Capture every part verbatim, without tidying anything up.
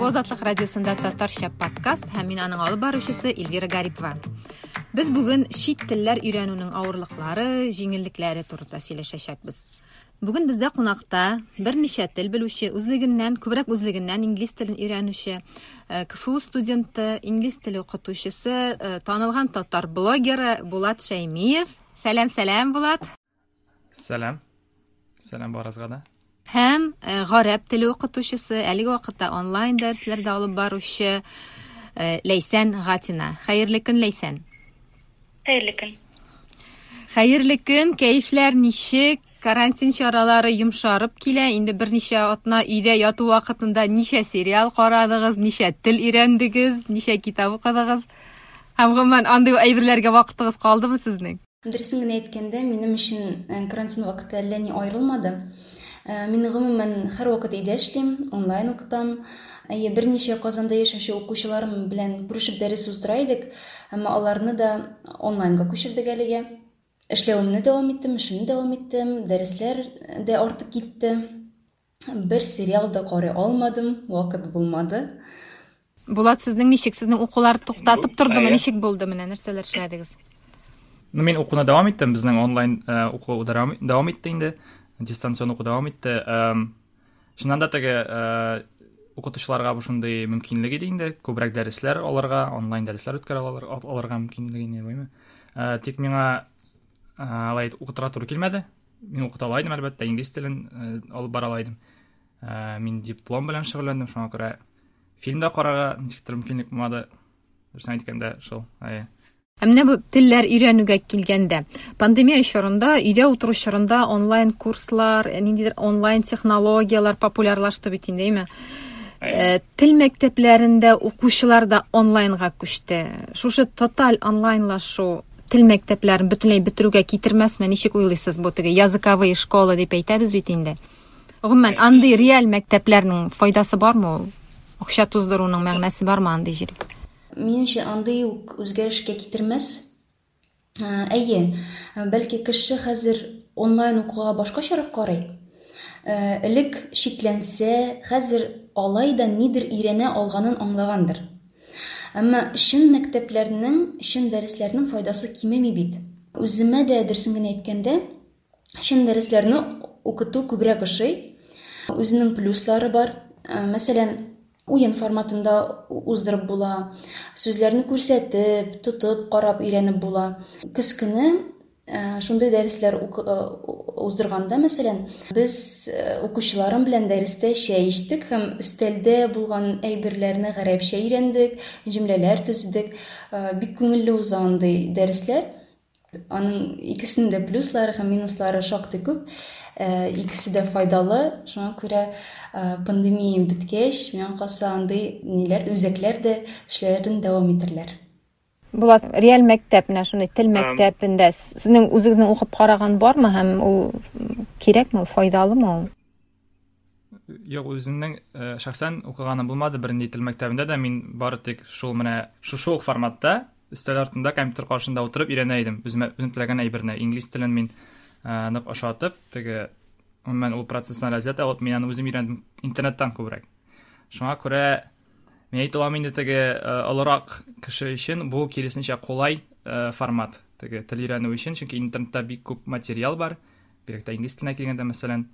Бу Азатлык радиосында татарча подкаст һәм мин аның алып баручысы Эльвира Гарипова. Без бүген чит телләр өйрәнүнең авырлыклары, җиңеллекләре турында сөйләшәчәкбез. Бүген бездә кунакта берничә тел белүче, үзлегеннән, күбрәк үзлегеннән инглиз телен өйрәнүче, э, КФУ студенты, инглиз теле укытучысы, э, танылган татар блогеры Булат Шәймиев. Сәлам, сәлам, Булат. Сәлам. Сәлам барыгызга да. Һәм э, гарәп теле укытучысы, әлеге вакытта онлайн дәресләрдә алып баручы э, Ләйсән Гатина. Хәерле көн, Ләйсән. Хәерле көн. Хәерле көн, кәефләр ничек? Карантин чаралары йомшарып килә. Инде берничә атна өйдә яту вакытында ничә сериал карадыгыз, ничә тел өйрәндегез, ничә китап укыдыгыз? Һәм гомумән андый әйберләргә вакытыгыз калдымы сезнең? Дөресен генә әйткәндә, минем өчен э, карантин вакыты әллә ни аерылмады. Э, Мин гомумән һәрвакыт өйдә эшлим, онлайн укытам. Әйе, берничә Казанда яшәүче укучыларым белән күрешеп дәрес уздыра идек, әмма аларны да онлайнга күчердек әлегә. Эшләвемне дәвам иттем, эшемне дәвам иттем, дәресләр дә артып китте. Бер сериал да карый алмадым, вакыт булмады. Булат, сезнең ничек? Сезнең укулар туктатып тордымы? Әйе. Ничек булды менә? Нәрсәләр эшләдегез? Ну, мин укуны дәвам иттем. Безнең онлайн э, уку дәвам дәвам итте инде. Дистанцион уку дәвам итте. Эм, Чыннан да теге э, укытучыларга бу шундый мөмкинлек иде инде. Күбрәк дәресләр алырга, онлайн дәресләр үткәрә алыр- алырга мөмкинлеге инде, буймы. Э, Тик миңа э, алай укытырга туры килмәде. Мин укыта ала идем, әлбәттә, инглиз телен э, алып бара ала идем. Э, Мин диплом белән шөгыльләндем, шуңа күрә фильм да карарга ничектер мөмкинлек булмады. Дөресен әйткәндә, шул. Әйе. Ә менә бу телләр өйрәнүгә килгәндә, пандемия чорында, өйдә утыру чорында онлайн курслар, ниндидер онлайн технологияләр популярлашты бит инде, әйме? Э, Тел мәктәпләрендә укучылар да онлайнга күчте. Шушы тоталь онлайнлашу тел мәктәпләрен бөтенләй бетерүгә китермәсме? Ничек уйлыйсыз бу теге языковые школы дип әйтәбез бит инде. Гомумән, андый реаль мәктәпләрнең файдасы бармы ул? Акча туздыруның мәгънәсе бармы андый җиргә? Минемчә, андый ук үзгәрешкә китермәс. Э, Әйе, бәлки кеше хәзер онлайн укуга башкачарак карый. Э, Элек шикләнсә, хәзер алай да нидер өйрәнә алганын аңлагандыр. Әмма чын мәктәпләрнең, чын дәресләрнең файдасы кимеми бит. Үземә дә дөресен генә әйткәндә, чын дәресләрне укыту күбрәк ошый. Үзенең плюслары бар. Э, Мәсәлән, уен форматында уздырып була, сүзләрне күрсәтеп, тотып, карап өйрәнеп була. Көз көне э, шундый дәресләр ук- э, уздырганда, мәсәлән, без э, укучыларым белән дәрестә чәй эчтек һәм өстәлдә булган әйберләрне гарәпчә өйрәндек, җөмләләр төзедек. Э, Бик күңелле уза андый дәресләр. Аның икесенең дә плюслары һәм минуслары шактый күп. Э, Икесе дә файдалы. Шуңа күрә э, пандемия беткәч, миңа калса андый ниләр, үзәкләр дә эшләрен дәвам итерләр. Булат, реаль мәктәп, менә шундый тел мәктәбендә сезнең үзегезнең укып караган бармы һәм ул кирәкме, ул файдалымы ул? Юк, үземнең э, шәхсән укыганым булмады бернинди тел мәктәбендә дә. Мин бары тик шул менә шушы ук форматта өстәл артында компьютер каршында утырып өйрәнә идем. Үземә үзем теләгән әйберне. Инглиз телен мин э, нык ошатып, теге гомумән ул процесстан ләззәт алып, мин аны үзем өйрәндем интернеттан күбрәк. Шуңа күрә мин әйтә алам инде теге э, олырак кеше өчен бу киресенчә кулай э, формат теге тел өйрәнү өчен, чөнки интернетта бик күп материал бар, бигрәк тә инглиз теленә килгәндә, мәсәлән.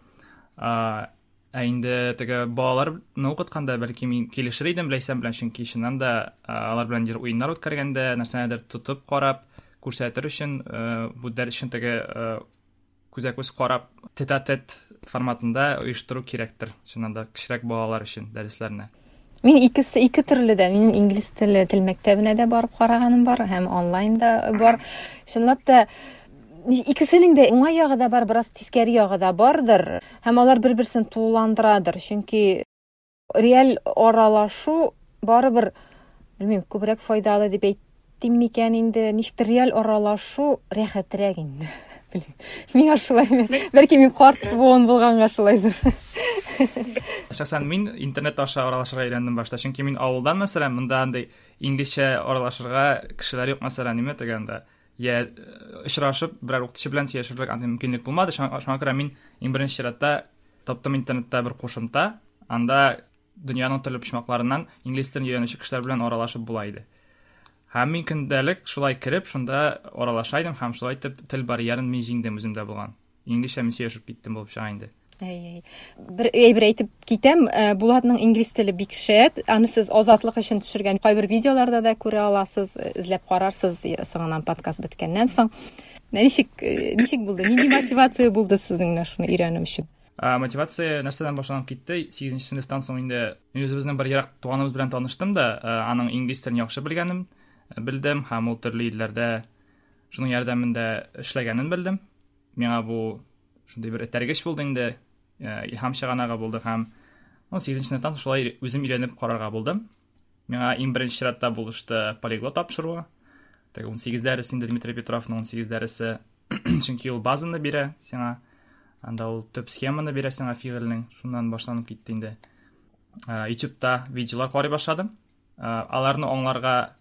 А, Ә инде теге балаларны укытканда бәлки мин килешер идем Ләйсән белән, чөнки чыннан да а, алар белән ниндидер уеннар үткәргәндә, нәрсәнедер тотып карап, күрсәтер өчен, э, бу дәрес өчен теге, э, күзә-күз карап, тет-а-тет форматында оештыру кирәктер, чыннан да кечерәк балалар өчен дәресләрне. Мин икесе ике төрле дә. Минем инглиз теле тел мәктәбенә дә барып караганым бар һәм онлайн да бар. Чынлап та икесенең дә уңай ягы да бар, бераз тискәре ягы да бардыр. Һәм алар бер-берсен тулыландырадыр. Чөнки реаль аралашу барыбер, белмим, күбрәк файдалы дип әйтим микән инде, ничектер реаль аралашу рәхәтрәк инде. Белмим. Миңа шулай, бәлки мин карт буын булганга шулайдыр. Шәхсән мин интернет аша аралашырга өйрәндем башта, чөнки мин авылдан, мәсәлән, монда андый инглизчә аралашырга кешеләр юк, мәсәлән, ниме дигәндә, я очрашып берәр укытучы белән сөйләшерлек андый мөмкинлек булмады. Шуңа, шуңа күрә мин иң беренче чиратта таптым интернетта бер кушымта, анда Дөньяның төрле почмакларыннан инглиз телен өйрәнүче кешеләр белән аралашып була иде. Һәм мин көндәлек шулай кереп, шунда аралаша идем һәм шулай итеп тел барьерын мин җиңдем үземдә булган. Инглизчә мин сөйләшеп киттем булып чыга инде. Әй, әй. Бер әйбер әйтеп китәм, э, Булатның инглиз теле бик шәп. Аны сез Азатлык өчен төшергән кайбер видеоларда да күрә аласыз, эзләп карарсыз соңыннан подкаст беткәннән соң. Ничек, э, ничек булды? Нинди мотивация булды сезнең менә шуны өйрәнү өчен? Мотивация нәрсәдән башланып китте? Сигезенче сыйныфтан соң инде мин үзебезнең бер ерак туганыбыз белән таныштым да, аның инглиз телен яхшы белгәнен белдем һәм ул төрле илләрдә шуның ярдәмендә эшләгәнен белдем. Миңа бу шундый бер этәргеч булды инде, илһам чыганагы булды һәм сигезенче сыйныфтан соң шулай үзем өйрәнеп карарга булдым. Миңа иң беренче чиратта булышты полиглот тапшыруы. Теге унсигез дәресе инде Дмитрий Петровның унсигез дәресе, чөнки ул базаны бирә сиңа, анда ул төп схеманы бирә сиңа фигыльнең, шуннан башланып китте инде. YouTube'та видеолар карый башладым. Аларны аңларга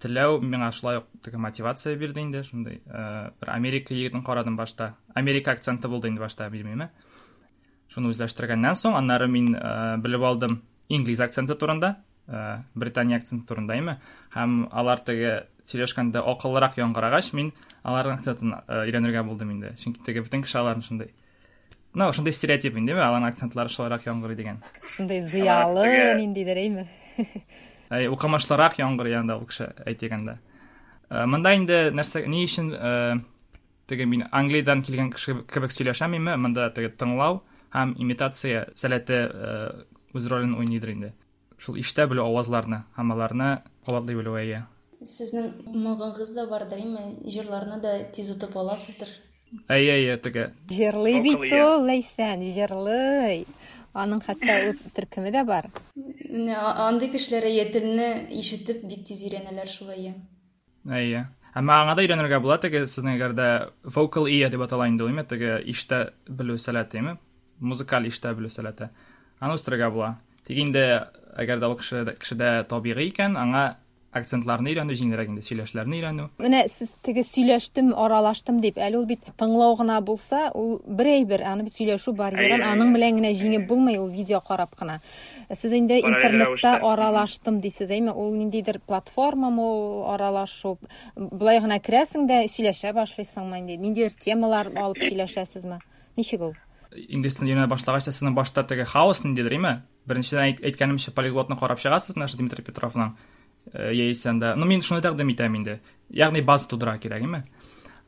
теләү миңа шулай ук теге мотивация бирде инде, шундый бер Америка егетен карадым башта. Америка акценты булды инде башта, белмим. Шуны үзләштергәннән соң, аннары мин белеп алдым инглиз акценты турында, Британия акценты турында име, һәм алар теге сөйләшкәндә акыллырак яңгырагач, мин аларның акцентын өйрәнергә булдым инде. Чөнки теге бөтен кеше аларның шундый, ну, шундый стереотип инде, аларның акцентлары шулайрак яңгырый дигән. Шундый зыялы ниндидер, әйме? Әй, укымышлырак яңгырый анда ул кеше әйтгәндә. Монда инде нәрсә, ни өчен теге мин Англиядән килгән кеше кебек сөйләшәм име, монда теге тыңлау һәм имитация сәләте үз ролен уйныйдыр инде. Шул ишетә белү авазларны һәм аларны кабатлый белү, әйе. Сезнең моңыгыз да бардыр, әйме? Җырларны да тиз отып аласыздыр. Әйе, әйе, теге. Җырлый бит ул, Ләйсән, җырлый. Аның хәтта үз төркеме дә бар. Менә андый кешеләр әйе, телне ишетеп бик тиз өйрәнәләр шулай. Әйе. Әмма аңа да өйрәнергә була, теге сезнең әгәр дә vocal ear дип атала инде, әйме, теге ишетә белү сәләте, әйме? Музыкаль ишетә белү сәләте. Аны үстерергә була. Тик инде әгәр дә ул кеше кешедә табигый икән, аңа акцентларны өйрәнү җиңелрәк инде, сөйләшләрне өйрәнү. Менә сез теге сөйләштем, аралаштым дип, әле ул бит тыңлау гына булса, ул бер әйбер, аны бит сөйләшү барьерын аның белән генә җиңеп булмый, ул видео карап кына. Сез инде интернетта аралаштым дисез, әйме, ул ниндидер платформамы ул аралашу? Болай гына керәсең дә сөйләшә башлыйсыңмы инде? Ниндидер темалар алып сөйләшәсезме? Ничек ул? Инглиз телен өйрәнә башлагач та сезнең башта теге хаос ниндидер, әйме? Беренчедән әйткәнемчә полиглотны карап чыгасыз, менә шул Дмитрий Петровның яисә анда. Ну, мин шуны тәкъдим итәм инде. Ягъни база тудыра кирәк, әйме?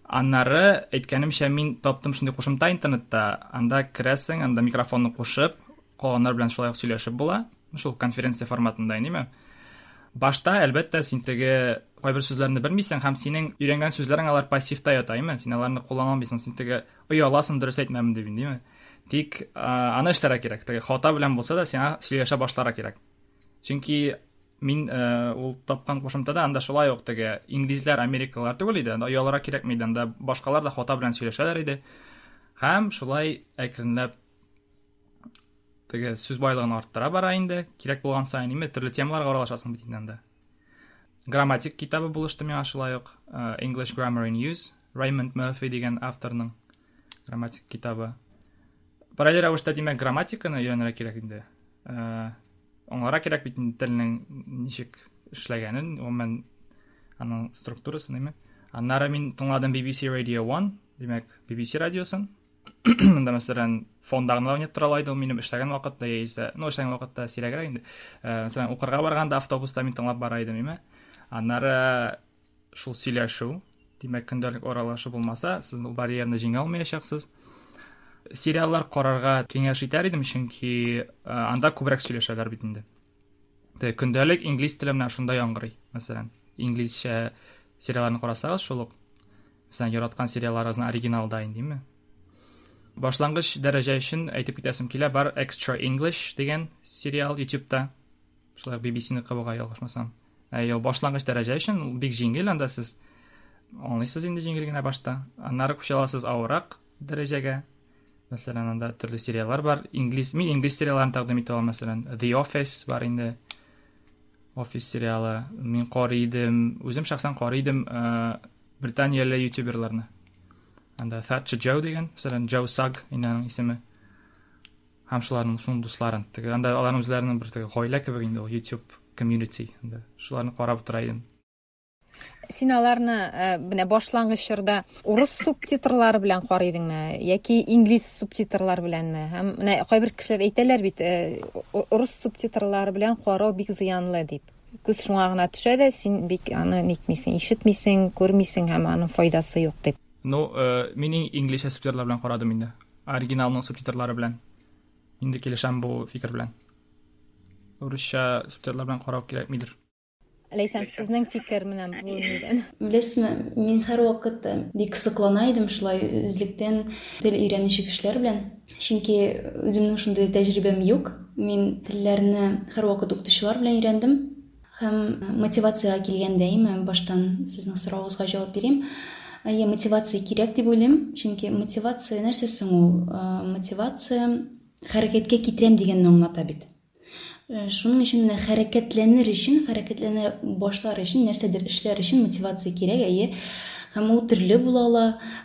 Аннары әйткәнемчә мин таптым шундый кушымта интернетта. Анда керәсең, анда микрофонны кушып, калганнар белән шулай ук сөйләшеп була. Шул конференция форматында, әйме? Башта, әлбәттә, син теге кайбер сүзләрне белмисең һәм синең өйрәнгән сүзләрең алар пассивта ята, әйме? Син аларны куллана алмыйсың, син теге ояласың, дөрес әйтмәм дип, әйме? Тик аны эшләргә кирәк. Теге хата белән булса да сиңа сөйләшә башларга кирәк. Чөнки мин ул тапкан кушымтада анда шулай ук теге инглизләр, америкалылар түгел иде, анда оялырга кирәкми иде, анда башкалар да хата белән сөйләшәләр иде. Һәм шулай әкренләп теге сүз байлыгын арттыра бара инде, кирәк булган саен инде төрле темаларга аралашасың бит инде анда. Грамматик китабы булышты миңа шулай ук, English Grammar in Use, Raymond Murphy дигән авторның грамматик китабы. Параллель рәвештә, димәк, грамматиканы өйрәнергә кирәк инде. Аңларга кирәк бит инде телнең ничек эшләгәнен, гомумән аның структурасын, әйме? Аннары мин тыңладым би би си Radio один, димәк, би би си радиосын. Монда, мәсәлән, фонда гына уйнап тора иде ул минем эшләгән вакытта, яисә, ну, эшләгән вакытта сирәгрәк инде. Мәсәлән, укырга барганда автобуста мин тыңлап бара идем, әйме? Аннары шул сөйләшү, димәк, көндәлек аралашу булмаса, сез ул барьерны җиңә алмаячаксыз. Сериаллар карарга киңәш итәр идем, чөнки анда күбрәк сөйләшәләр бит инде. Көндәлек инглиз теле менә шунда яңгырый, мәсәлән. Инглизчә сериалларны карасагыз, шул ук, мәсәлән, яраткан сериалларыгызның оригиналда инде, димме? Башлангыч дәрәҗә өчен әйтеп китәсем килә, бар Extra English дигән сериал YouTube'та. Шулай ук би би си-не кабыга ялгышмасам. Әй, ул башлангыч дәрәҗә өчен ул бик җиңел, анда сез аңлыйсыз инде җиңел генә башта. Аннары күчә аласыз авыррак дәрәҗәгә. Мәсәлән, анда төрле сериаллар бар. Инглиз, мин инглиз сериалларын тәкъдим итә алам, мәсәлән, The Office бар инде. Office сериалы. Мин карый идем, үзем шәхсән карый идем Британияле ютуберларны. Анда Thatcher Joe дигән, мәсәлән, Joe Sugg инде аның исеме. Һәм шуларның шуның дусларын. Теге анда аларның үзләренең бер теге гаилә кебек инде ул YouTube community. Анда шуларны карап утыра идем. Син аларны менә башлангыч чорда урыс субтитрлары белән карый идеңме яки инглиз субтитрлары беләнме? Һәм менә кайбер кешеләр әйтәләр бит, урыс субтитрлары белән карау бик зыянлы дип. Күз шуңа гына төшә дә, син бик аны нитмисең, ишетмисең, күрмисең һәм аның файдасы юк дип. Ну, мин инглизчә субтитрлар белән карадым инде. Оригиналның субтитрлары белән. Инде килешәм бу фикер белән. Урысча субтитрлар белән карау кирәкмидер. Ләйсән, сезнең фикер менә бу нидән? Беләсезме, мин һәрвакыт бик соклана идем шулай үзлектән тел өйрәнүче кешеләр белән. Чөнки үземнең шундый тәҗрибәм юк. Мин телләрне һәрвакыт укытучылар белән өйрәндем. Һәм мотивациягә килгәндә, әйме, баштан сезнең соравыгызга җавап бирим. Әйе, мотивация кирәк дип уйлыйм. Чөнки мотивация нәрсә соң ул? Мотивация хәрәкәткә китерәм дигәнне аңлата бит. Шуның өчен менә хәрәкәтләнер өчен, хәрәкәтләнә башлар өчен, нәрсәдер эшләр өчен мотивация кирәк, әйе. Һәм ул төрле була ала,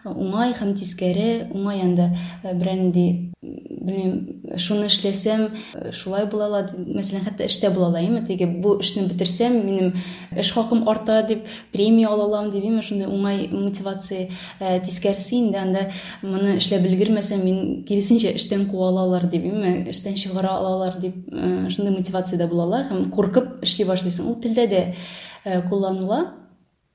уңай һәм тискәре, уңай анда берәр нинди, белмим, шуны эшләсәм, шулай була ала, мәсәлән, хәтта эштә була ала, әйме, теге бу эшне бетерсәм, минем эш хакым арта дип, премия ала алам дип, әйме, шундый уңай мотивация. Тискәресе инде анда моны эшләп өлгермәсәм, мин киресенчә эштән куа алалар дип, әйме, эштән чыгара алалар дип, шундый мотивация дә була ала һәм куркып эшли башлыйсың. Ул телдә дә кулланыла.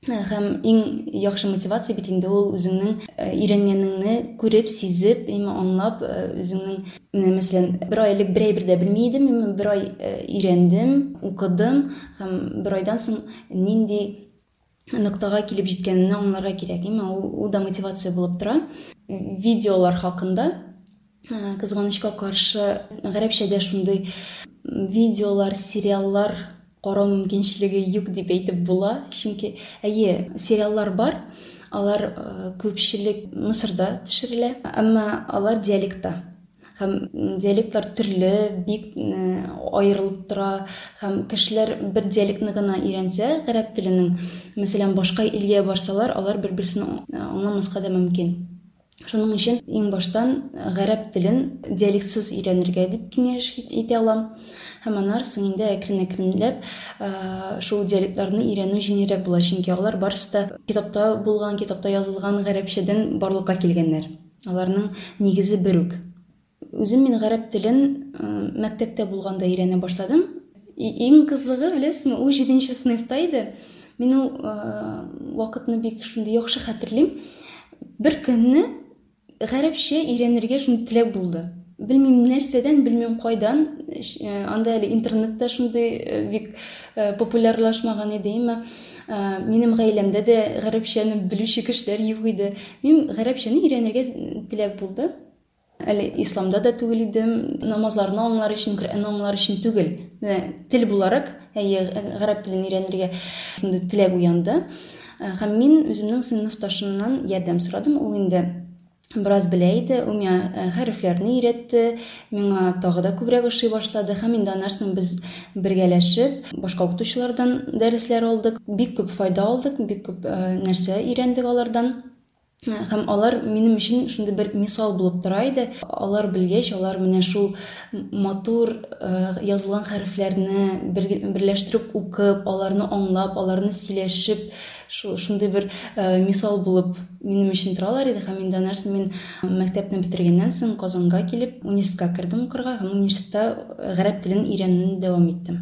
Һәм иң яхшы мотивация бит инде ул үзеңнең өйрәнгәнеңне күреп, сизеп, әйме, аңлап, үзеңнең, менә мәсәлән, бер ай элек бер әйбер дә белми идем, әйме, бер ай өйрәндем, укыдым һәм бер айдан соң нинди ноктага килеп җиткәнемне аңларга кирәк, әйме, ул, ул да мотивация булып тора. Видеолар хакында, кызганычка каршы, гарәпчәдә шундый видеолар, сериаллар карау мөмкинчелеге юк дип әйтеп була, чөнки әйе, сериаллар бар, алар күпчелек Мысырда төшерелә, әмма алар диалектта. Һәм диалектлар төрле, бик аерылып тора, һәм кешеләр бер диалектны гына өйрәнсә, гарәп теленең, мәсәлән, башка илгә барсалар, алар бер-берсен аңламаска да мөмкин. Шуның өчен иң баштан гарәп телен диалектсыз өйрәнергә дип киңәш итә алам. Һәм аннары соң инде әкрен-әкренләп шул диалектларны өйрәнү җиңелрәк була, чөнки алар барысы да китапта булган, китапта язылган гарәпчәдән барлыкка килгәннәр. Аларның нигезе бер үк. Үзем мин гарәп телен мәктәптә булганда өйрәнә башладым. Иң кызыгы, беләсезме, ул җиденче сыйныфта иде. Мин ул вакытны бик шундый яхшы хәтерлим. Бер көнне гарәпчә өйрәнергә шундый теләк булды. Белмим нәрсәдән, белмим кайдан. Анда әле интернетта шундый бик популярлашмаган иде, әмма минем гаиләмдә дә гарәпчәне белүче кешеләр юк иде. Мин гарәпчәне өйрәнергә теләк булды. Әле исламда да түгел идем, намазларны аңлар өчен, Коръәнне аңлар өчен түгел. Менә тел буларак, әйе, гарәп телен өйрәнергә шундый теләк уянды. Һәм мин үземнең сыйныфташымнан ярдәм сорадым. Ул инде бераз белә иде, ул миңа хәрефләрне өйрәтте, миңа тагы да күбрәк ошый башлады. Һәм инде аннан соң без бергәләшеп башка укытучылардан дәресләр алдык, бик күп файда алдык, бик күп нәрсә өйрәндек алардан. Һәм алар минем өчен шундый бер мисал булып тора иде. Алар белгәч, алар менә шул матур язылган хәрефләрне берләштереп укып, аларны аңлап, аларны сөйләшеп, шундый бер мисал булып минем өчен торалар иде. Һәм инде аннан соң мин мәктәпне бетергәннән соң Казанга килеп, университетка кердем укырга һәм университетта гарәп телен өйрәнүне дәвам иттем.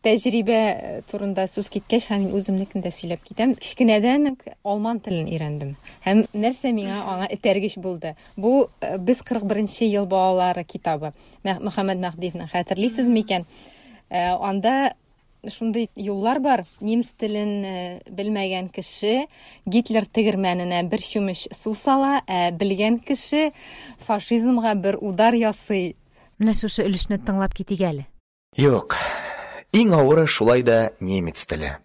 Тәҗрибә турында сүз киткәч, һәм мин үземнекен дә сөйләп китәм. Кечкенәдән үк алман телен өйрәндем. Һәм нәрсә миңа аңа этәргеч булды? Бу без кырык беренче ел балалары китабы. Мөхәммәд Мәһдиевнең, хәтерлисез микән? Анда шундый юллар бар. Немец телен белмәгән кеше Гитлер тегермәненә бер чүмеч су сала, ә белгән кеше фашизмга бер удар ясый. Менә шушы өлешне тыңлап китик әле. Юк. Иң авыры шулай да немец теле.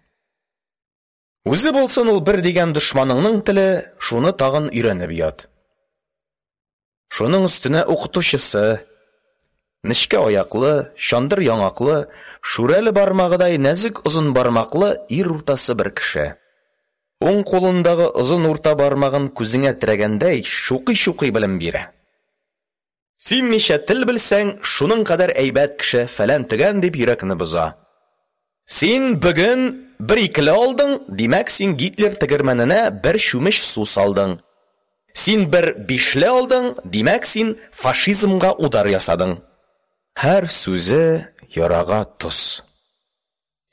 Үзе булсын ул бер дигән дошманыңның теле, шуны тагын өйрәнеп ят. Шуның өстенә укытучысы, нечкә аяклы, чандыр яңаклы, шүрәле бармагыдай нәзек озын бармаклы ир уртасы бер кеше. Уң кулындагы озын урта бармагын күзеңә терәгәндәй чукый-чукый белем бирә. Син ничә тел белсәң, шуның кадәр әйбәт кеше, фәлән төгән дип йөрәкне боза. Син бүген бер икеле алдың, димәк, син Гитлер тегермәненә бер чүмеч су салдың. Син бер бишле алдың, димәк, син фашизмга удар ясадың. Һәр сүзе ярага тоз.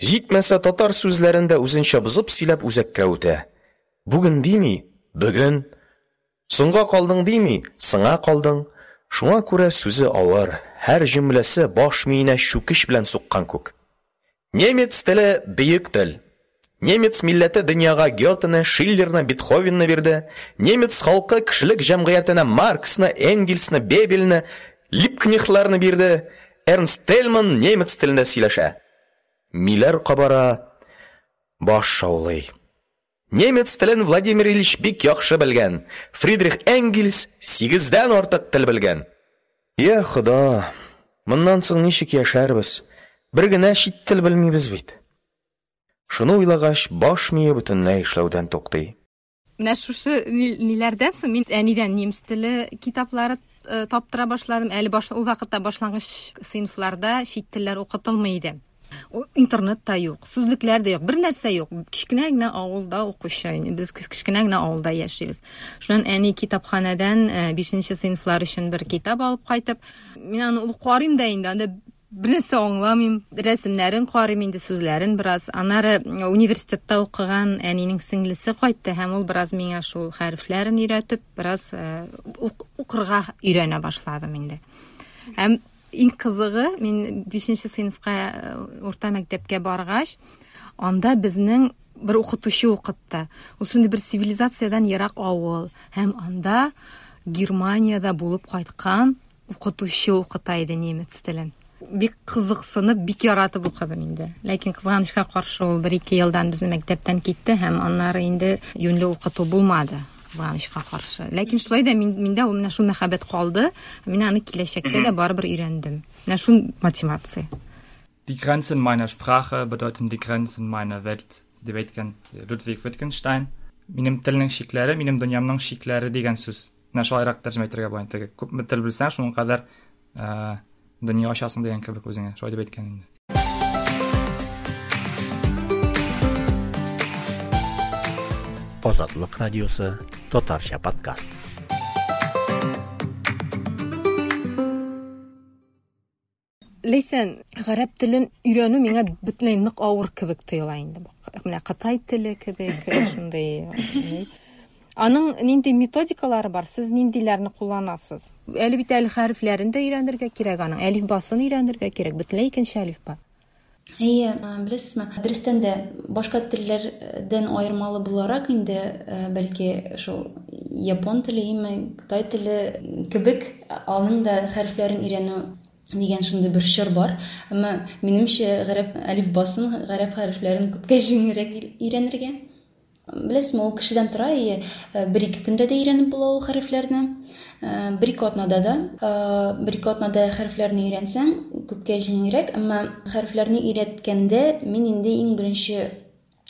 Җитмәсә, татар сүзләрен дә үзенчә бозып сөйләп үзәккә үтә. Бүген дими, бөгөн. Соңга калдың дими, сыңа калдың. Шуңа күрә сүзе авыр, һәр җөмләсе баш миенә чүкеч белән суккан күк. Немец теле бөек тел. Немец милләте дөньяга Гётены, Шиллерны, Бетховенны бирде. Немец халкы кешелек җәмгыятенә Марксны, Энгельсны, Бебельне, Либкнехтларны бирде. Эрнст Тельман немец телендә сөйләшә. Миләр кабара, баш шаулый. Немец телен Владимир Ильич бик яхшы белгән. Фридрих Энгельс сигездән артык тел белгән. Я Хода, моннан соң ничек яшәрбез? Бер генә чит тел белмибез бит. Шуны уйлагач, баш мие бөтенләй эшләүдән туктый. Менә шушы ниләрдән соң мин әнидән немец теле китаплары таптыра башладым. Әле баш, ул вакытта башлангыч сыйныфларда чит телләр укытылмый иде. Интернет та юк, сүзлекләр дә юк, бер нәрсә юк. Кечкенә генә авылда укучы, без кечкенә генә авылда яшибез. Шуннан әни китапханәдән бишенче сыйныфлар өчен бер китап алып кайтып, мин аны карыйм да инде, анда бер нәрсә аңламыйм. Рәсемнәрен карыйм инде, сүзләрен бераз. Аннары университетта укыган әнинең сеңлесе кайтты һәм ул бераз миңа шул хәрефләрен өйрәтеп, бераз укырга өйрәнә башладым инде. Һәм иң кызыгы, мин бишенче сыйныфка урта мәктәпкә баргач, анда безнең бер укытучы укытты. Ул шундый бер цивилизациядән ерак авыл һәм анда Германиядә булып кайткан укытучы укыта иде немец телен. Бик кызыксынып, бик яратып укыдым инде. Ләкин кызганычка каршы ул бер-ике елдан безнең мәктәптән китте һәм аннары инде юньле укыту булмады. Кызганычка каршы. Ләкин шулай да мин, миндә ул менә шул мәхәббәт калды. Мин аны киләчәктә дә барыбер өйрәндем. Менә шул мотивация. Die Grenzen meiner Sprache bedeuten die Grenzen meiner Welt, дип әйткән Людвиг Wittgenstein. Минем телнең чикләре, минем дөньямның чикләре дигән сүз. Менә шулайрак тәрҗемә итәргә була. Теге күпме тел белсәң, шуның кадәр дөнья ачасың дигән кебек үзеңә. Шулай дип әйткән инде. Азатлык радиосы татарча подкаст. Ләйсән, гарәп телен өйрәнү миңа бөтенләй нык авыр кебек тоела инде. Менә Кытай теле кебек, шундый. Аның нинди методикалары бар? Сез ниндиләрне кулланасыз? Әле бит әле хәрефләрен дә өйрәнергә кирәк аның, әлифбасын өйрәнергә кирәк, бөтенләй икенче әлифба. Әйе, беләсезме, дөрестән дә башка телләрдән аермалы буларак инде, бәлки шул япон теле яме Кытай теле кебек аның да хәрефләрен өйрәнү дигән шундый бер чор бар. Әмма минемчә гарәп әлифбасын, гарәп хәрефләрен күпкә җиңелрәк өйрәнергә. Беләсезме, ул кешедән тора, әйе, бер-ике көндә дә өйрәнеп була ул хәрефләрне, бер-ике атнада да, бер-ике атнада хәрефләрне өйрәнсәң, күпкә җиңелрәк. Әмма хәрефләрне өйрәткәндә мин инде иң беренче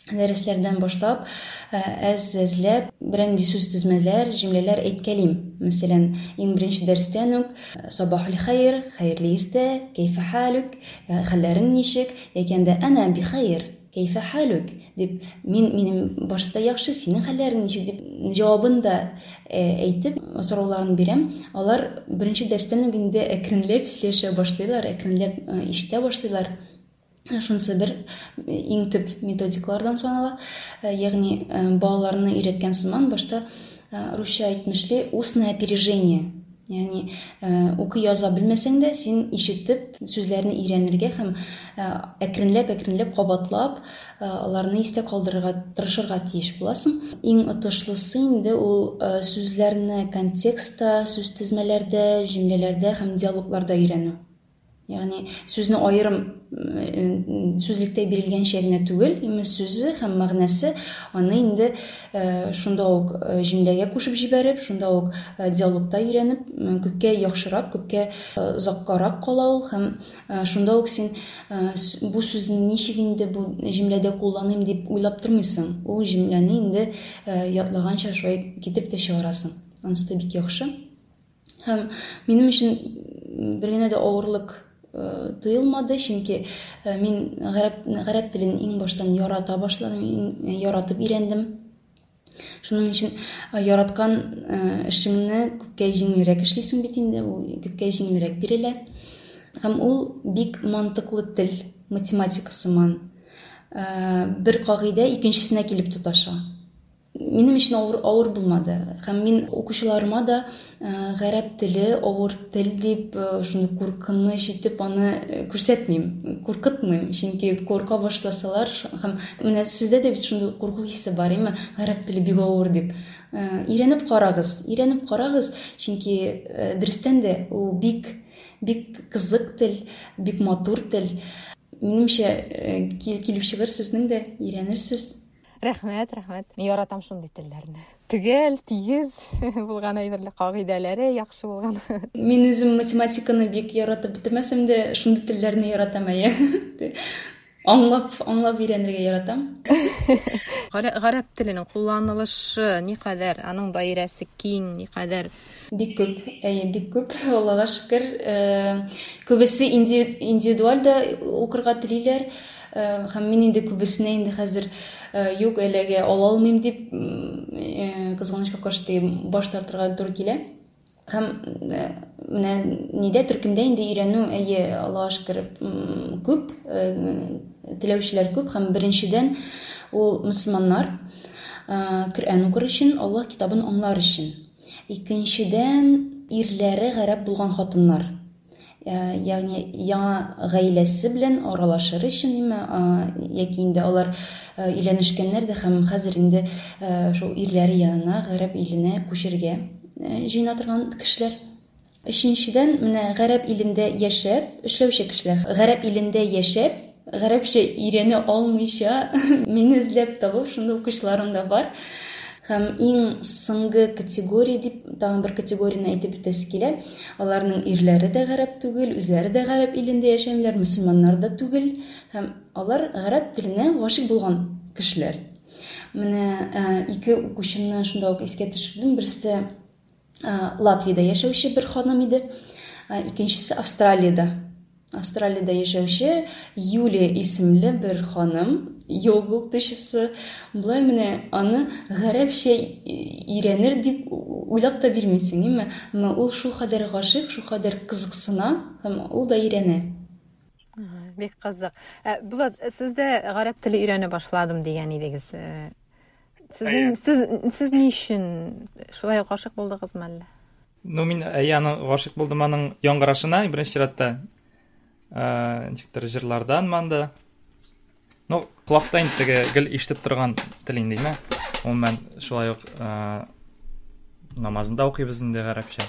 дәресләрдән башлап, әз-әзләп бернинди сүз тезмәләр, җөмләләр әйткәлим. Мәсәлән, иң беренче дәрестән үк сабахул хәйр, хәерле иртә, кәйфә халүк, хәлләрең ничек, яки анда ана бихәйр, кәйфә халүк дип, мин минем барысы да яхшы, синең хәлләрең ничек дип җавабын да әйтеп, сорауларын бирәм. Алар беренче дәрестән үк инде әкренләп сөйләшә башлыйлар, әкренләп ишетә башлыйлар. Шунысы бер иң төп методикалардан санала. Ягъни балаларны өйрәткән сыман башта русча әйтмешли устное опережение. Ягъни укый яза белмәсәң дә, син ишетеп сүзләрне өйрәнергә һәм әкренләп-әкренләп кабатлап аларны истә калдырырга тырышырга тиеш буласың. Иң отышлысы инде ул сүзләрне контекстта, сүз тезмәләрдә, җөмләләрдә һәм диалогларда өйрәнү. Ягъни сүзне аерым сүзлектә бирелгәнчә генә түгел, әмма сүзе һәм мәгънәсе аны инде шунда ук җөмләгә кушып җибәреп, шунда ук диалогта өйрәнеп, күпкә яхшырак, күпкә озаккарак кала ул һәм шунда ук син бу сүзне ничек инде бу җөмләдә кулланыйм дип уйлап тормыйсың. Ул җөмләне инде ятлаганча шулай китереп тә чыгарасың. Анысы да бик яхшы. Һәм минем өчен бер генә дә авырлык тоелмады, чөнки мин гарәп, гарәп телен иң баштан ярата башладым, яратып өйрәндем. Шуның өчен яраткан эшеңне күпкә җиңелрәк эшлисең бит инде, ул күпкә җиңелрәк бирелә. Һәм ул бик мантыклы тел, математика сыман. Бер кагыйдә икенчесенә килеп тоташа. Минем өчен авыр, авыр булмады. Һәм мин укучыларыма да гарәп теле авыр тел дип, шуны куркыныч итеп аны күрсәтмим, куркытмыйм. Чөнки курка башласалар, һәм менә сездә дә бит шундый курку хисе бар, әйме, гарәп теле бик авыр дип. Өйрәнеп карагыз, өйрәнеп карагыз, чөнки дөрестән дә ул бик бик кызык тел, бик матур тел. Минемчә, килеп чыгыр сезнең дә, өйрәнерсез. Рәхмәт, рәхмәт. Мин яратам шундый телләрне. Төгәл, тигез булган әйберләр, кагыйдәләре яхшы булган. Мин үзем математиканы бик яратып бетермәсәм дә, шундый телләрне яратам, әйе. Аңлап, аңлап өйрәнергә яратам. Гарәп теленең кулланылышы никадәр, аның даирәсе киң, никадәр? Бик күп, әйе, бик күп, Аллага шөкер. Күбесе индивидуаль дә укырга телиләр. Һәм мин инде күбесенә инде хәзер юк, әлегә ала алмыйм дип, кызганычка каршы баш тартырга туры килә. Һәм менә нидә төркемдә инде өйрәнү, әйе, Аллага шөкер, күп, теләүчеләр күп. Һәм беренчедән ул мөселманнар, Коръән укыр өчен, Аллаһ китабын аңлар өчен. Икенчедән, ирләре гарәп булган хатыннар. Ягъни яңа гаиләсе белән аралашыр өчен, яки инде алар өйләнешкәннәр дә һәм хәзер инде шул ирләре янына гарәп иленә күчергә җыена торган кешеләр. Өченчедән, менә гарәп илендә яшәп, эшләүче кешеләр. Гарәп илендә яшәп, гарәпчә өйрәнә алмыйча, мине эзләп табып, шундый укучыларым да бар. Һәм иң соңгы категория дип, тагын бер категорияне әйтеп үтәсе килә. Аларның ирләре дә гарәп түгел, үзләре дә гарәп илендә яшәмиләр, мөселманнар да түгел. Һәм алар гарәп теленә гашыйк булган кешеләр. Менә ике укучымны шунда ук искә төшердем. Берсе Латвиядә яшәүче бер ханым иде, икенчесе Австралиядә. Австралиядә яшәүче Юлия исемле бер ханым, йога укытучысы. Болай менә аны гарәпчә өйрәнер дип уйлап та бирмисең, әмма Әмма ул шул кадәр гашыйк, шул кадәр кызыксына һәм ул да өйрәнә. Бик кызык. Булат, сез дә гарәп теле өйрәнә башладым дигән идегез. Сезнең сез сез ни өчен шулай гашыйк булдыгызмы әллә? Ну, мин әйе, аның гашыйк булдым аның яңгырашына, беренче чиратта. Э, ничектер җырлардан манда. Ну, колакта инде теге гел ишетеп торган тел инде, әйме? Гомумән, шулай ук э, намазында укыйбыз инде гарәпчә.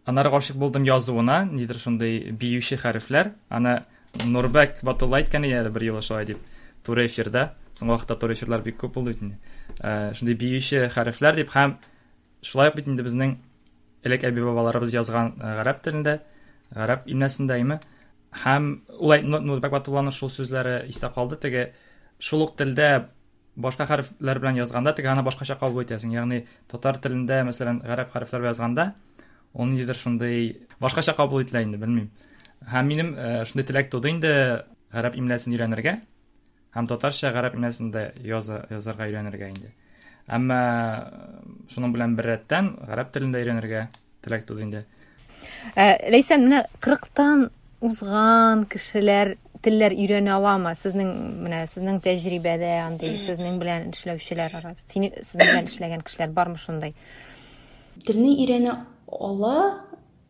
Аннары гашыйк булдым язуына, нидер шундый биюче хәрефләр. Аны Нурбәк Батулла әйткән иде әле бер юлы шулай дип. Туры эфирда. Соңгы вакытта туры эфирлар бик күп булды бит инде. Э, шундый биюче хәрефләр дип һәм шулай ук бит инде безнең элек әби-бабаларыбыз язган гарәп телендә, гарәп имласында, әйме? Һәм ул Нурбәк Батулланың шул сүзләре истә калды, теге шул ук телдә башка хәрефләр белән язганда теге аны башкача кабул итәсең. Ягъни татар телендә, мәсәлән, гарәп хәрефләр белән язганда, ул ниндидер шундый башкача кабул ителә инде, белмим. Һәм минем шундый теләк туды инде гарәп имласын өйрәнергә һәм татарча гарәп имласында яза, язарга өйрәнергә инде. Әмма шуның белән беррәттән гарәп телен дә өйрәнергә теләк туды инде. Ләйсән, менә кырыктан узган кешеләр телләр өйрәнә аламы? Сезнең менә сезнең тәҗрибәдә андый, сезнең белән эшләүчеләр арасында, сезнең белән эшләгән кешеләр бармы шундай? Телне өйрәнә ала.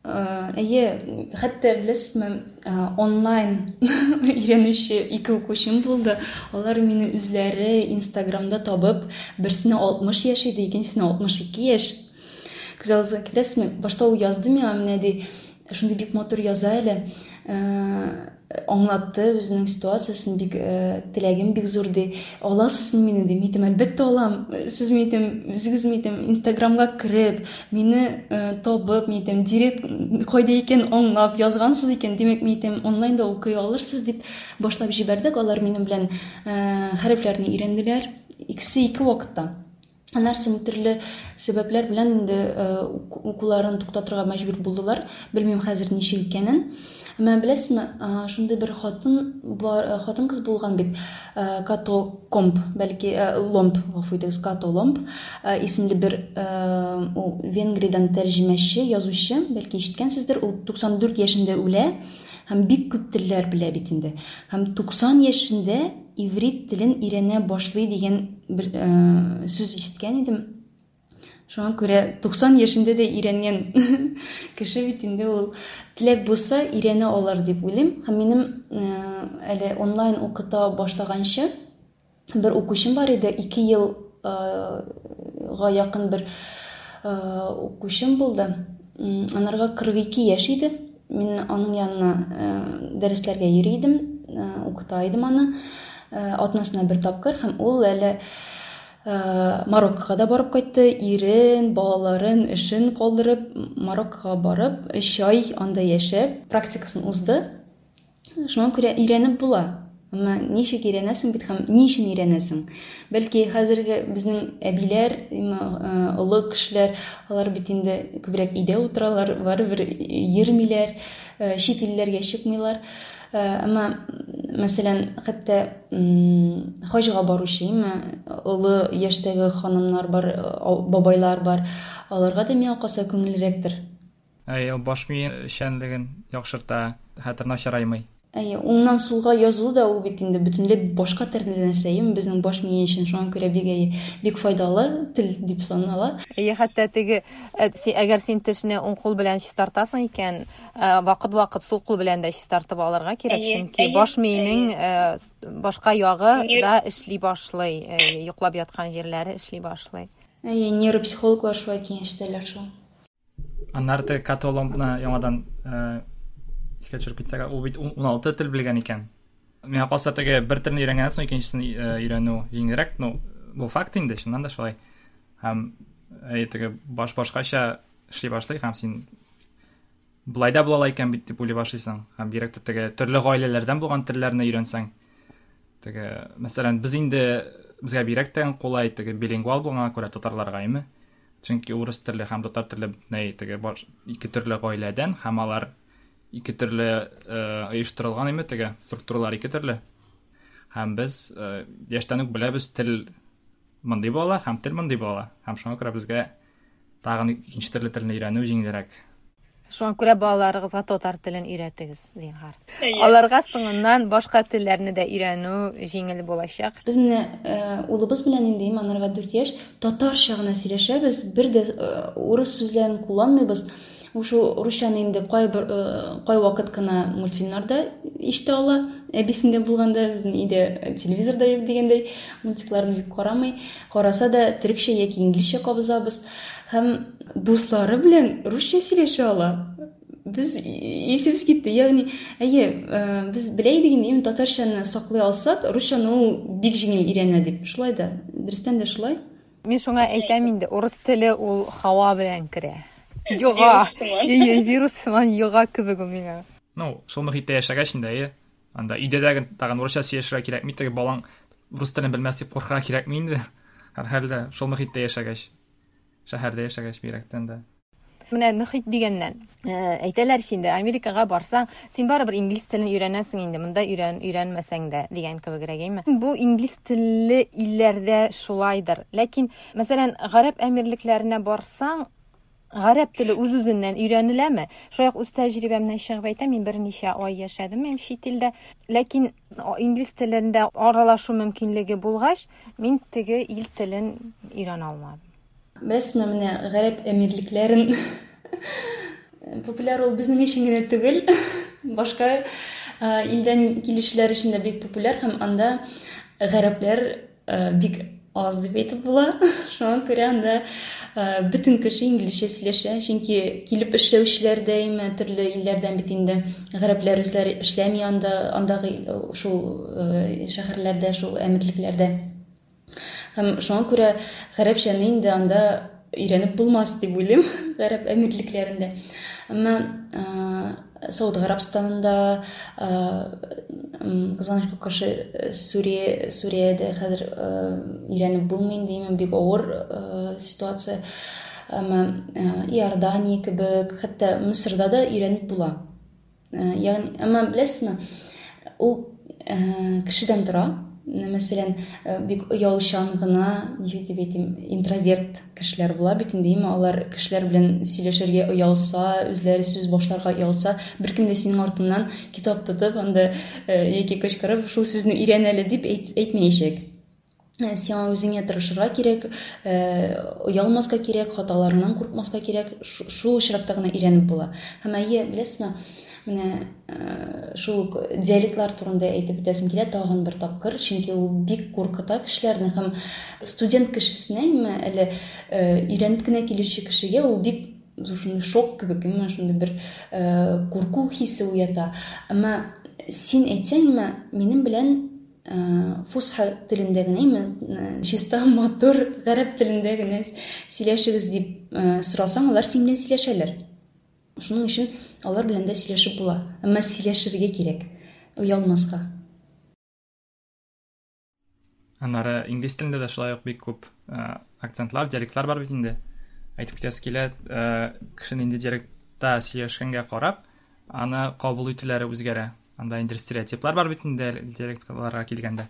Әйе, хәтта беләсезме, онлайн өйрәнүче ике укучым булды. Алар мине үзләре Инстаграмда табып, берсенә алтмыш яшь иде, икенчесенә алтмыш ике яшь. Күз алдыгызга китерәсезме? Башта ул язды миңа, менә ди, шундый бик матур яза әле. Аңлатты үзенең ситуациясен, бик теләгем бик зур ди. Аласызмы мине ди? Мин әйтәм, әлбәттә алам. Сез мин әйтәм, үзегез мин әйтәм, Инстаграмга кереп, мине табып, мин әйтәм, директ кайда икән аңлап язгансыз икән, димәк, мин әйтәм, онлайнда укый алырсыз дип башлап җибәрдек. Алар минем белән хәрефләрне өйрәнделәр. Икесе ике вакытта. Аннан соң төрле сәбәпләр белән инде укуларын туктатырга мәҗбүр булдылар. Белмим хәзер ничек икәнен. Әмма беләсезме, шундый бер хатын бар, хатын-кыз булган бит, Като Комп, бәлки Ломб, гафу итегез, Като Ломб исемле бер ул Венгриядән тәрҗемәче, язучы, бәлки ишеткәнсездер, ул туксан дүрт яшендә үлә һәм бик күп телләр белә бит инде. Һәм туксан яшендә иврит телен өйрәнә башлый дигән бер сүз ишеткән идем. Шуңа күрә туксан яшендә дә өйрәнгән кеше бит инде ул. Теләк булса өйрәнә алар дип уйлыйм. Һәм минем әле онлайн укыта башлаганчы бер укучым бар иде, ике елга якын бер укучым булды. Анарга кырык ике яшь иде. Мин аның янына дәресләргә йөри идем, укыта идем аны атнасына бер тапкыр, һәм ул әле Мароккога да барып кайтты, ирен, балаларын, эшен калдырып, Мароккога барып, өч ай анда яшәп, практикасын узды. Шуңа күрә өйрәнеп була. Әмма ничек өйрәнәсең бит һәм ни өчен өйрәнәсең? Бәлки хәзерге безнең әбиләр, олы кешеләр, алар бит инде күбрәк өйдә утыралар, барыбер йөрмиләр, чит илләргә чыкмыйлар. Әмма, мәсәлән, хәтта хаҗга баручы, олы яшьтәге ханымнар бар, бабайлар бар, аларга да миңа калса күңеллерәктер. Әй, баш мие эшчәнлеген яхшырта, хәтер начараймый. Әйе, уңнан сулга язу да ул бит инде бөтенләй башка төрле нәрсә, безнең баш мие өчен, шуңа күрә бик, бик файдалы тел дип санала. Әйе, хәтта теге, әгәр син тешне уң кул белән чистартасың икән, вакыт-вакыт сул кул белән дә чистартып алырга кирәк, чөнки баш миенең башка ягы да эшли башлый, йоклап яткан җирләре эшли башлый. Әйе, нейропсихологлар шулай киңәш итәләр шул. Аннары теге Като Ломбны яңадан искә төшереп китсәк, ул бит ун алты тел белгән икән. Миңа калса, теге бер телне өйрәнгәннән соң икенчесен өйрәнү җиңелрәк. Ну, бу факт инде, чыннан да шулай. Һәм әй, теге баш башкача эшли башлый, һәм син болай да була ала икән бит дип уйлый башлыйсың. Һәм бигрәк тә теге төрле гаиләләрдән булган телләрне өйрәнсәң, теге, мәсәлән, без инде безгә бигрәк тә кулай теге билингвал булганга күрә татарларга, әйме? Чөнки урыс теле һәм татар теле бөтенләй теге ике төрле гаиләдән, һәм алар ике төрле оештырылган, әйме, теге структуралар ике төрле. Һәм без яшьтән үк беләбез, тел мондый була һәм тел мондый була. Һәм шуңа күрә безгә тагын икенче төрле телне өйрәнү җиңелрәк. Шуңа күрә балаларыгызга татар телен өйрәтегез, зинһар. Аларга соңыннан башка телләрне дә өйрәнү җиңел булачак. Без менә улыбыз белән инде, анарга дүрт яшь, татарча гына сөйләшәбез, бер дә урыс сүзләрен кулланмыйбыз. Ушул русчаны инде кай бер кай вакыт кына мультфильмнарда ишетә ала. Әбисендә булганда безнең өйдә телевизорда юк дигәндәй, мультикларны бик карамый. Караса да төрекчә яки инглизчә кабызабыз. Һәм дуслары белән русча сөйләшә ала. Без исебез китте. Ягъни, әйе, без белә идек инде, татарчаны саклый алсак, русчаны ул бик җиңел өйрәнә дип. Шулай да, дөрестән дә шулай. Мин шуңа әйтәм инде, урыс теле ул һава белән керә. Йога. Йе, вирус сыман йога кебек ул миңа. Ну, шул мөхиттә яшәгәч инде, әйе. Анда өйдә дә тагын урысча сөйләшергә кирәкми, теге балаң рус телен белмәс дип куркырга кирәкми инде. Һәрхәлдә шул мөхиттә яшәгәч, шәһәрдә яшәгәч бигрәктән дә. Менә мөхит дигәннән, әйтәләр инде, Америкага барсаң, син барыбер инглиз телен өйрәнәсең инде, монда өйрән, өйрәнмәсәң дә дигән кебегрәк, әйме? Бу инглиз телле илләрдә шулайдыр. Ләкин, мәсәлән, Гарәп Әмирлекләренә барсаң, гарәп теле үз-үзеннән өйрәнеләме? Шулай ук үз тәҗрибәмнән чыгып әйтәм, мин берничә ай яшәдем мин чит илдә. Ләкин инглиз телендә аралашу мөмкинлеге булгач, мин теге ил телен өйрәнә алмадым. Беләсезме, менә Гарәп Әмирлекләрен популяр ул безнең өчен генә түгел, башка илдән килүчеләр өчен дә бик популяр, һәм анда гарәпләр бик аз дип әйтеп була. Шуңа күрә анда бөтен кеше инглизчә сөйләшә, чөнки килеп эшләүчеләр дә име төрле илләрдән бит инде гарәпләр үзләре эшләми анда, андагы шул шәһәрләрдә, шул әмирлекләрдә. Һәм шуңа күрә гарәпчәне инде анда өйрәнеп булмас дип уйлыйм, Гарәп Әмирлекләрендә. Әмма Сауд Гарәбстанында, кызганычка каршы, Сүрия, Сүриядә хәзер өйрәнеп булмый инде, бик авыр ситуация. Әмма Иордания кебек, хәтта Мисырда да өйрәнеп була. Ягъни, әмма беләсезме, ул кешедән тора. Мәсәлән, бик оялчан гына, ничек дип әйтим, интроверт кешеләр була бит инде, алар кешеләр белән сөйләшергә оялса, үзләре сүз башларга оялса, беркем дә синең артыннан китап тотып, анда яки кычкырып, шул сүзне өйрән әле дип әйтмәячәк. Сиңа үзеңә тырышырга кирәк, оялмаска кирәк, хаталарыңнан куркмаска кирәк, шул очракта гына өйрәнеп була. Һәм әйе, беләсезме, менә шул ук диалектлар турында әйтеп үтәсем килә тагын бер тапкыр, чөнки ул бик куркыта кешеләрне һәм студент кешесенә, әле өйрәнеп кенә килүче кешегә ул бик шундый шок кебек, шундый бер курку хисе уята. Әмма син әйтсәң, минем белән фусха телендә генә, чиста матур гарәп телендә генә сөйләшегез дип сорасаң, алар синең белән сөйләшәләр. Шуның өчен алар белән дә сөйләшеп була. Әмма сөйләшергә кирәк, оялмаска. Аннары инглиз телендә дә шулай ук бик күп акцентлар, диалектлар бар бит инде. Әйтеп китәсе килә, кеше нинди диалектта сөйләшкәнгә карап, аны кабул итүләре үзгәрә. Анда инде стереотиплар бар бит инде диалектларга килгәндә.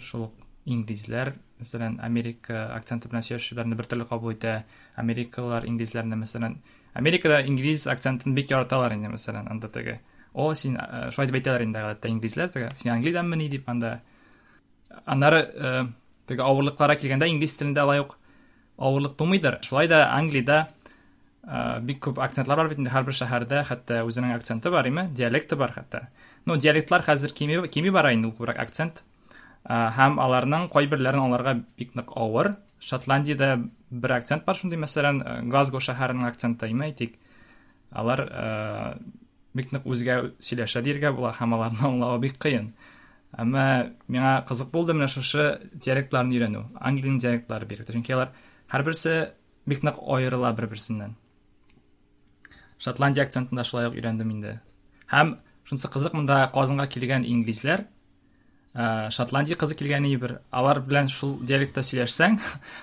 Шул ук инглизләр, мәсәлән, Америка акценты белән сөйләшүләрне бер төрле кабул итә. Америкалылар инглизләрне, мәсәлән, Америкада инглиз акцентын бик яраталар инде, мәсәлән, анда теге. О, син шулай дип әйтәләр инде гадәттә инглизләр теге. Син Англиядәнмени дип анда. Аннары теге авырлыкларга килгәндә инглиз телендә алай ук авырлык тумыйдыр. Шулай да Англиядә бик күп акцентлар бар бит инде, һәрбер шәһәрдә хәтта үзенең акценты бар, име, диалекты бар хәтта. Ну, диалектлар хәзер кими кими бара инде, күбрәк акцент. Һәм аларның кайберләрен аңларга бик нык авыр. Шотландиядә бер акцент бар шундый, мәсәлән, Глазго шәһәренең акценты, име, әйтик. Алар бик нык үзгә сөйләшә диергә була һәм аларны аңлавы бик кыен. Әмма миңа кызык булды менә шушы диалектларны өйрәнү, Англиянең диалектлары бигрәк тә, чөнки алар һәрберсе бик нык аерыла бер-берсеннән. Шотландия акцентын да шулай ук өйрәндем инде. Һәм шунысы кызык, монда Казанга килгән инглизләр, Шотландия кызы килгән бер, алар белән шул диалектта сөйләшсәң,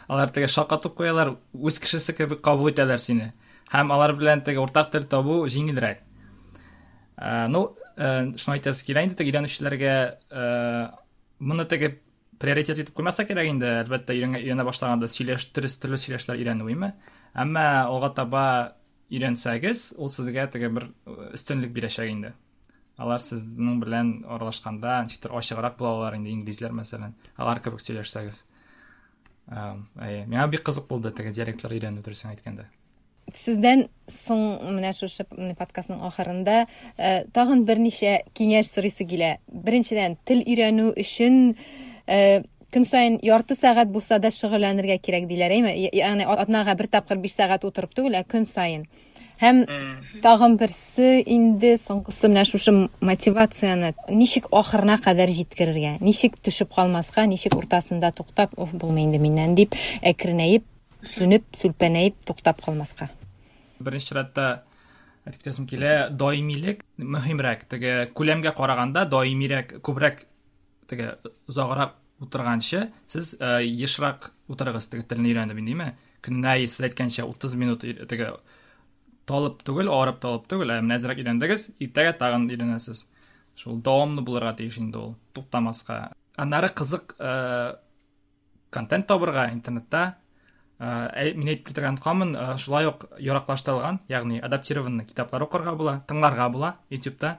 алар теге шаккатып куялар, үз кешесе кебек кабул итәләр сине. Һәм алар белән теге уртак тел табу җиңелрәк. Ну, шуны әйтәсе килә инде, теге өйрәнүчеләргә моны теге приоритет итеп куймаса кирәк инде, әлбәттә, өйрәнә башлаганда сөйләш, төрле төрле сөйләшләр өйрәнү име. Әмма алга таба өйрәнсәгез, ул сезгә теге бер өстенлек бирәчәк инде. Алар сезнең белән аралашканда ничектер ачыграк булалар инде, инглизләр мәсәлән, алар кебек сөйләшсәгез. Әйе, миңа бик кызык булды теге диалектлар өйрәнү, дөресен әйткәндә. Сездән соң менә шушы подкастның ахырында тагын берничә киңәш сорыйсы килә. Беренчедән, тел өйрәнү өчен көн саен ярты сәгать булса да шөгыльләнергә кирәк диләр, әйме? Ягъни атнага бер тапкыр биш сәгать утырып түгел, ә көн саен. Һәм тагын берсе инде соңгысы, менә шушы мотивацияне ничек ахырына кадәр җиткерергә, ничек төшеп калмаска, ничек уртасында туктап, оф, булмый инде миннән дип, әкренәеп, сүнеп, сүлпәнәеп туктап калмаска. Беренче чиратта әйтеп китәсем килә, даимилек мөһимрәк. Теге күләмгә караганда даимирәк, күбрәк теге озаграк утырганчы, сез ешрак утырыгыз теге телне өйрәнеп, индеме? Көненә сез әйткәнчә утыз минут теге талып түгел, арып талып түгел, ә менә әзрәк өйрәндегез, иртәгә тагын өйрәнәсез. Шул дәвамлы булырга тиеш инде ул, туктамаска. Аннары кызык контент табырга интернетта. Мин әйтеп китергән камын, шулай ук яраклаштырылган, ягъни адаптированный китаплар укырга була, тыңларга була YouTube'та.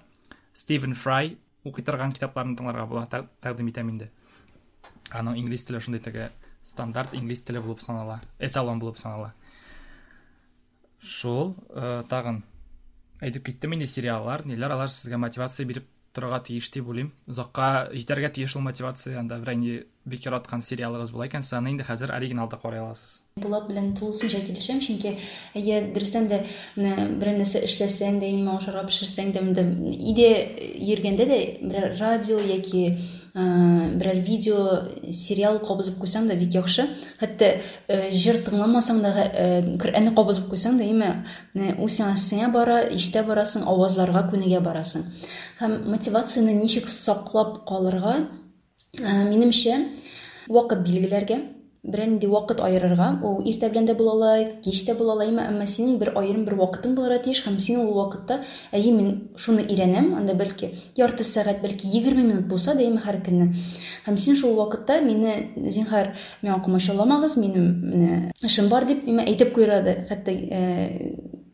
Стивен Фрай укый торган китапларны тыңларга була, тәкъдим итәм инде. Аның инглиз теле шундый теге стандарт инглиз теле булып санала, эталон булып санала. Шул, тагын әйтеп киттем инде, сериаллар, ниләр, алар сезгә мотивация биреп торырга тиеш дип уйлыйм. Озакка җитәргә тиеш ул мотивация, анда бер инде бик яраткан сериалыгыз була икән, сез аны инде хәзер оригиналда карый аласыз. Булат белән тулысынча килешәм, чөнки әйе, дөрестән дә менә берәр нәрсә эшләсәң дә, имә ашарга пешерсәң дә, монда өйдә йөргәндә дә берәр радио яки Берәр видео, сериал кабызып куйсаң да бик яхшы. Хәтта җыр тыңламасаң да, Коръәнне кабызып куйсаң да, әйме, ул сиңа сеңә бара, ишетә барасың, авазларга күнегә барасың. Һәм мотивацияне ничек саклап калырга, минемчә, вакыт билгеләргә, берәр нинди вакыт аерырга, ул иртә белән дә була ала, кич тә була ала, әмма синең бер аерым бер вакытың булырга тиеш, һәм син ул вакытта, әйе, мин шуны өйрәнәм, анда бәлки ярты сәгать, бәлки егерме минут булса да, әйе, һәр көнне. Һәм син шул вакытта мине, зинһар, миңа комачауламагыз, минем менә эшем бар дип, миңа әйтеп куйырга да, хәтта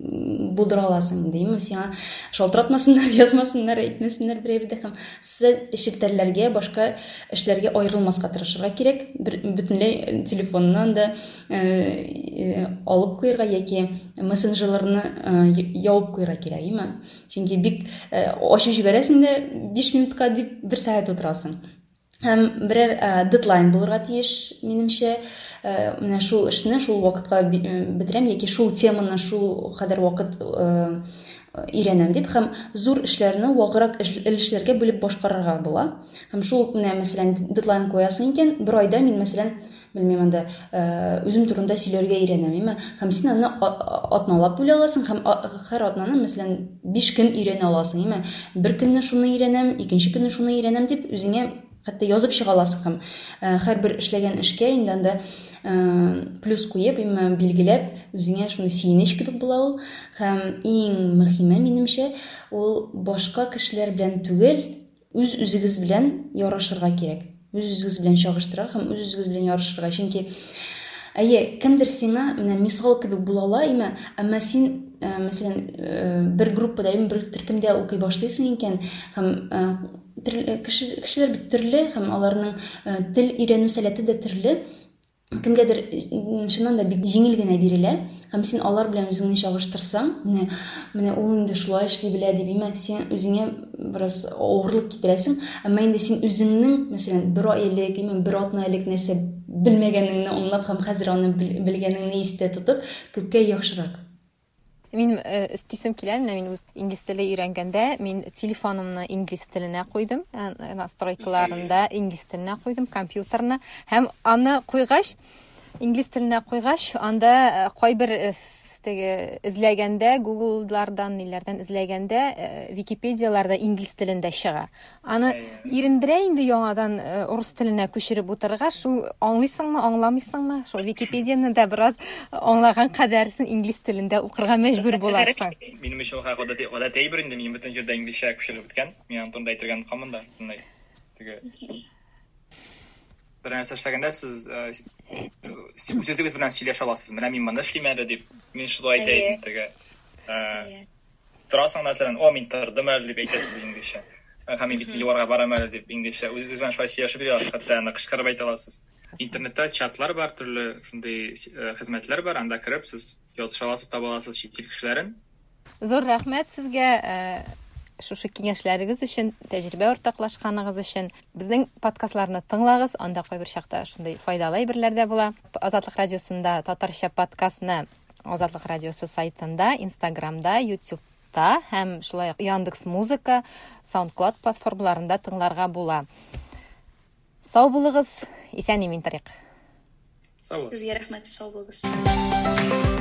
булдыра аласың инде, әйеме, сиңа шалтыратмасыннар, язмасыннар, әйтмәсеннәр берәр дә, һәм челтәрләргә, башка эшләргә аерылмаска тырышырга кирәк, бөтенләй телефоннан да алып куярга яки мессенджерларны ябып куярга кирәк, әйеме? Чөнки бик ачып җибәрәсең дә биш минутка дип бер сәгать утырасың. Һәм берәр дедлайн булырга тиеш, минемчә, менә шул эшне шул вакытка бетерәм яки шул теманы шул кадәр вакыт өйрәнәм дип, һәм зур эшләрне ваграк өлешләргә бүлеп башкарырга була. Һәм шул менә, мәсәлән, дедлайн куясың икән, бер айда мин, мәсәлән, белмим, анда үзем турында сөйләргә өйрәнәм, әйме? Һәм син аны атналап бүлә аласың, һәм һәр атнаны, мәсәлән, биш көн өйрәнә аласың, әйме? Бер көнне шуны өйрәнәм, икенче көнне шуны өйрәнәм дип үзеңә хәтта язып чыга аласың, һәм һәрбер эшләгән эшкә инде анда плюс куеп, әйме, билгеләп, үзеңә шуны сөенеч кебек була ул. Һәм иң мөһиме, минемчә, ул башка кешеләр белән түгел, үз-үзегез белән ярышырга кирәк. Үз-үзегез белән чагыштырырга һәм үз-үзегез белән ярышырга. Чөнки әйе, кемдер сиңа менә мисал кебек була ала, әйме, әмма син, мәсәлән, бер группада, әйме, бер төркемдә укый башлыйсың икән, һәм кешеләр бит төрле, һәм аларның тел өйрәнү сәләте дә төрле. Кемгәдер чыннан да бик җиңел генә бирелә, һәм син алар белән үзеңне чагыштырсаң, менә, менә ул инде шулай эшли белә дип, әйме, син үзеңә бераз авырлык китерәсең, әмма инде син үзеңнең, мәсәлән, бер ай элек, әйме, бер атна элек нәрсә белмәгәнеңне аңлап һәм хәзер аны белгәнеңне истә тотып, күпкә яхшырак. Мин өстисем килә, менә мин үз инглиз теле өйрәнгәндә, мин телефонымны инглиз теленә куйдым, настройкаларында инглиз теленә куйдым, компьютерны, һәм аны куйгач, инглиз теленә куйгач, анда кайбер теге эзләгәндә, Google'лардан, ниләрдән эзләгәндә, Википедияларда инглиз телендә чыга. Аны ирендерә инде яңадан урыс теленә күчереп утырырга, шул аңлыйсыңмы, аңламыйсыңмы, шул Википедияны да бераз аңлаган кадәрсен инглиз телендә укырга мәҗбүр буласың. Минем өчен ул гадәти гадәти әйбер инде, мин бөтен җирдә инглизчә күчереп беткән. Мин аның турында әйтергә онытканмын да, бөтенләй. Теге бер нәрсә эшләгәндә сез үз-үзегез белән сөйләшә аласыз. Менә мин моны эшлим әле дип, мин шулай әйтә идем теге. Торасың, мәсәлән, о, мин тордым әле дип әйтәсез инглизчә. Һәм мин бит юлга барам әле дип инглизчә. Үз-үзегез белән шулай сөйләшеп йөри аласыз, хәтта аны кычкырып әйтә аласыз. Интернетта чатлар бар, төрле шундый хезмәтләр бар, анда кереп сез языша аласыз, таба аласыз чит ил кешеләрен. Зур рәхмәт сезгә шушы киңәшләрегез өчен, тәҗрибә уртаклашканыгыз өчен. Безнең подкастларны тыңлагыз, анда кайбер чакта шундый файдалы әйберләр дә була. Азатлык радиосында татарча подкастны Азатлык радиосы сайтында, Инстаграмда, YouTube'та һәм шулай ук Яндекс Музыка, SoundCloud платформаларында тыңларга була. Сау булыгыз, исән-имин торыйк. Сау булыгыз. Сезгә рәхмәт, сау булыгыз.